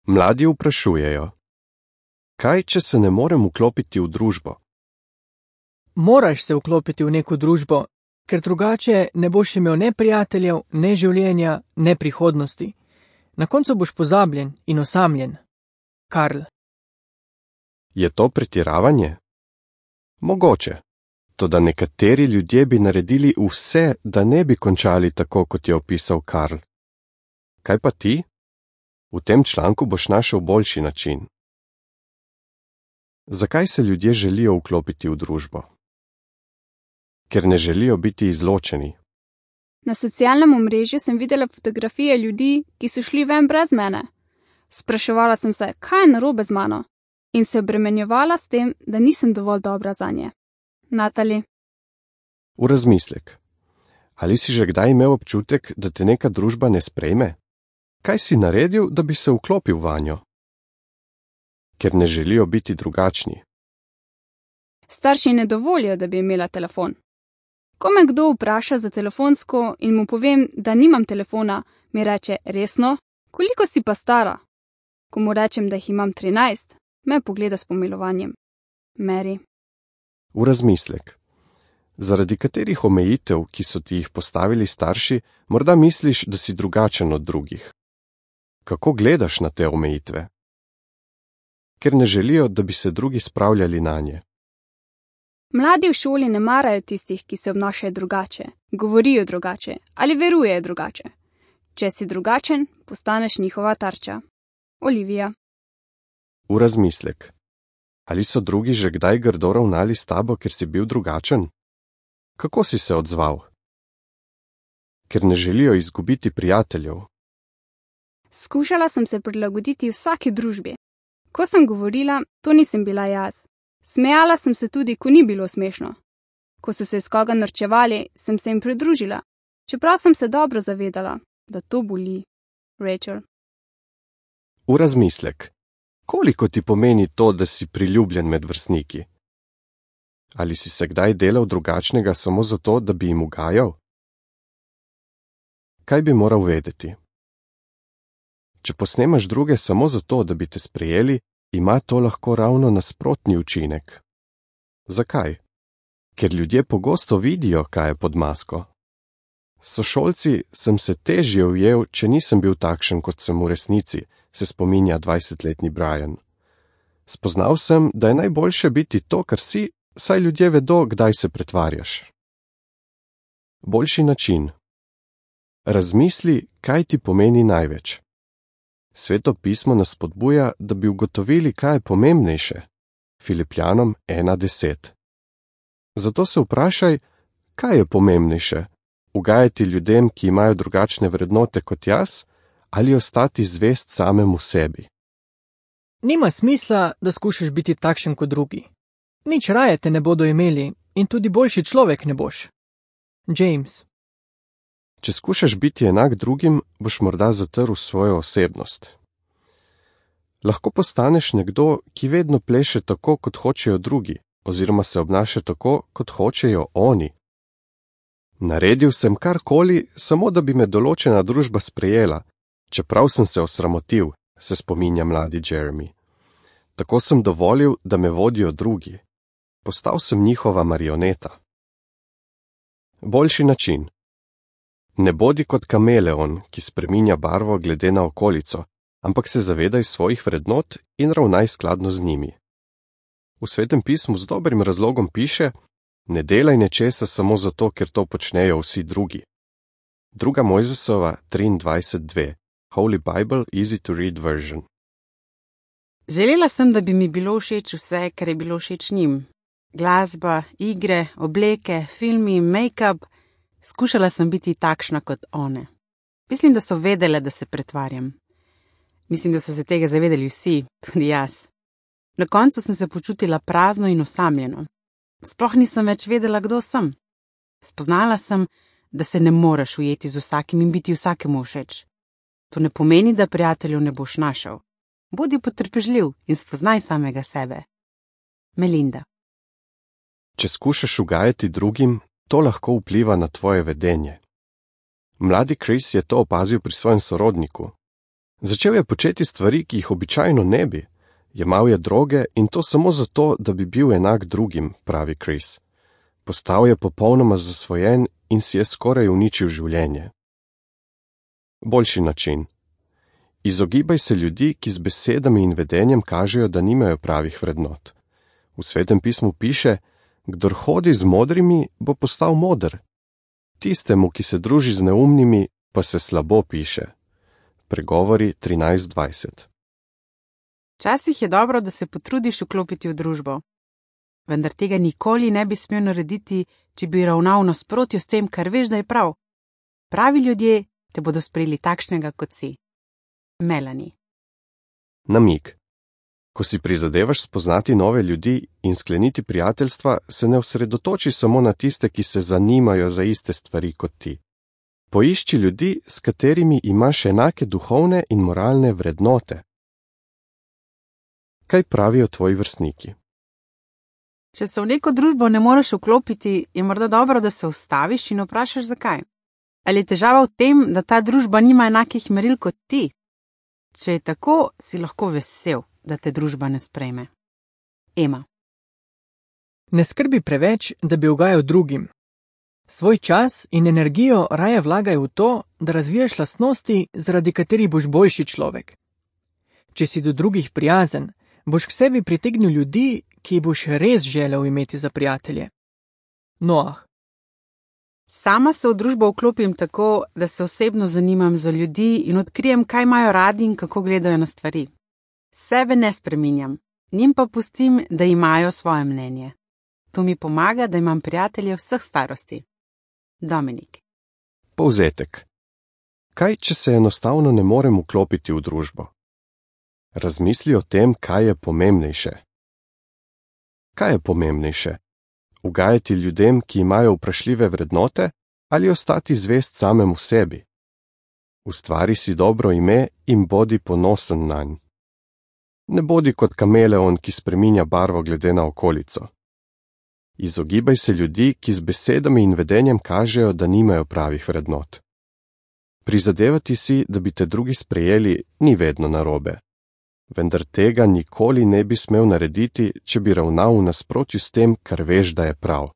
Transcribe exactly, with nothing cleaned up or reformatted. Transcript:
Mladi vprašujejo: kaj, če se ne morem vklopiti v družbo? Moraš se vklopiti v neko družbo, ker drugače ne boš imel ne prijateljev, ne življenja, ne prihodnosti. Na koncu boš pozabljen in osamljen. Karl. Je to pretiravanje? Mogoče. Toda nekateri ljudje bi naredili vse, da ne bi končali tako, kot je opisal Karl. Kaj pa ti? V tem članku boš našel boljši način. Zakaj se ljudje želijo vklopiti v družbo? Ker ne želijo biti izločeni. Na socialnem omrežju sem videla fotografije ljudi, ki so šli ven brez mene. Spraševala sem se, kaj je narobe z mano, in se obremenjevala s tem, da nisem dovolj dobra zanje. Natali. V razmislek. Ali si že kdaj imel občutek, da te neka družba ne sprejme? Kaj si naredil, da bi se vklopil vanjo? Ker ne želijo biti drugačni. Starši ne dovolijo, da bi imela telefon. Ko me kdo vpraša za telefonsko in mu povem, da nimam telefona, mi reče: resno? Koliko si pa stara? Ko mu rečem, da jih imam trinajst, me pogleda s pomilovanjem. Mary. V razmislek. Zaradi katerih omejitev, ki so ti jih postavili starši, morda misliš, da si drugačen od drugih? Kako gledaš na te omejitve? Ker ne želijo, da bi se drugi spravljali nanje. Mladi v šoli ne marajo tistih, ki se obnašajo drugače, govorijo drugače ali verujejo drugače. Če si drugačen, postaneš njihova tarča. Olivija. V razmislek. Ali so drugi že kdaj grdo ravnali s tabo, ker si bil drugačen? Kako si se odzval? Ker ne želijo izgubiti prijateljev. Skušala sem se prilagoditi vsaki družbi. Ko sem govorila, to nisem bila jaz. Smejala sem se tudi, ko ni bilo smešno. Ko so se iz koga norčevali, sem se jim pridružila, čeprav sem se dobro zavedala, da to boli. Rachel. V razmislek. Koliko ti pomeni to, da si priljubljen med vrstniki? Ali si se kdaj delal drugačnega samo zato, da bi jim ugajal? Kaj bi moral vedeti? Če posnemaš druge samo zato, da bi te sprejeli, ima to lahko ravno nasprotni učinek. Zakaj? Ker ljudje pogosto vidijo, kaj je pod masko. S sošolci sem se težje ujel, če nisem bil takšen, kot sem v resnici, se spominja dvajsetletni Brian. Spoznal sem, da je najboljše biti to, kar si, saj ljudje vedo, kdaj se pretvarjaš. Boljši način. Razmisli, kaj ti pomeni največ. Sveto pismo nas spodbuja, da bi ugotovili, kaj je pomembnejše. Filipljanom ena deset. Zato se vprašaj, kaj je pomembnejše? Ugajati ljudem, ki imajo drugačne vrednote kot jaz, ali ostati zvest samemu sebi? Nima smisla, da skušaš biti takšen kot drugi. Nič raje te ne bodo imeli in tudi boljši človek ne boš. James. Če skušaš biti enak drugim, boš morda zatrl svojo osebnost. Lahko postaneš nekdo, ki vedno pleše tako, kot hočejo drugi, oziroma se obnaša tako, kot hočejo oni. Naredil sem karkoli, samo da bi me določena družba sprejela, čeprav sem se osramotil, se spominja mladi Jeremy. Tako sem dovolil, da me vodijo drugi. Postal sem njihova marioneta. Boljši način. Ne bodi kot kameleon, ki spreminja barvo glede na okolico, ampak se zavedaj svojih vrednot in ravnaj skladno z njimi. V Svetem pismu z dobrim razlogom piše: ne delaj nečesa samo zato, ker to počnejo vsi drugi. Druga Mojzesova triindvajset dve. Holy Bible, easy to read version. Želela sem, da bi mi bilo všeč vse, kar je bilo všeč njim. Glasba, igre, obleke, filmi, make-up. Skušala sem biti takšna kot one. Mislim, da so vedele, da se pretvarjam. Mislim, da so se tega zavedali vsi, tudi jaz. Na koncu sem se počutila prazno in osamljeno. Sploh nisem več vedela, kdo sem. Spoznala sem, da se ne moreš ujeti z vsakim in biti vsakemu všeč. To ne pomeni, da prijateljev ne boš našel. Bodi potrpežljiv in spoznaj samega sebe. Melinda. Če skušaš ugajati drugim, to lahko vpliva na tvoje vedenje. Mladi Chris je to opazil pri svojem sorodniku. Začel je početi stvari, ki jih običajno ne bi. Jemal je droge in to samo zato, da bi bil enak drugim, pravi Chris. Postal je popolnoma zasvojen in si je skoraj uničil življenje. Boljši način. Izogibaj se ljudi, ki z besedami in vedenjem kažejo, da nimajo pravih vrednot. V Svetem pismu piše, kdor hodi z modrimi, bo postal moder. Tistemu, ki se druži z neumnimi, pa se slabo piše. Pregovori trinajst dvajset. Včasih je dobro, da se potrudiš vklopiti v družbo. Vendar tega nikoli ne bi smel narediti, če bi ravnal nasprotju s tem, kar veš, da je prav. Pravi ljudje te bodo sprejeli takšnega, kot si. Melanie. Namig. Ko si prizadevaš spoznati nove ljudi in skleniti prijateljstva, se ne osredotoči samo na tiste, ki se zanimajo za iste stvari kot ti. Poišči ljudi, s katerimi imaš enake duhovne in moralne vrednote. Kaj pravijo tvoji vrstniki? Če se v neko družbo ne moreš vklopiti, je morda dobro, da se ustaviš in vprašaš, zakaj. Ali je težava v tem, da ta družba nima enakih meril kot ti? Če je tako, si lahko vesel, da te družba ne sprejme. Ema. Ne skrbi preveč, da bi ugajal drugim. Svoj čas in energijo raje vlagaj v to, da razvijaš lastnosti, zaradi katerih boš boljši človek. Če si do drugih prijazen, boš k sebi pritegnil ljudi, ki boš res želel imeti za prijatelje. Noah. Sama se v družbo vklopim tako, da se osebno zanimam za ljudi in odkrijem, kaj imajo radi in kako gledajo na stvari. Sebe ne spreminjam, njim pa pustim, da imajo svoje mnenje. To mi pomaga, da imam prijatelje vseh starosti. Dominik. Povzetek. Kaj, če se enostavno ne morem vklopiti v družbo? Razmisli o tem, kaj je pomembnejše. Kaj je pomembnejše? Ugajati ljudem, ki imajo vprašljive vrednote, ali ostati zvest samemu sebi? Ustvari si dobro ime in bodi ponosen nanj. Ne bodi kot kameleon, ki spreminja barvo glede na okolico. Izogibaj se ljudi, ki z besedami in vedenjem kažejo, da nimajo pravih vrednot. Prizadevati si, da bi te drugi sprejeli, ni vedno narobe. Vendar tega nikoli ne bi smel narediti, če bi ravnal v nasprotju s tem, kar veš, da je prav.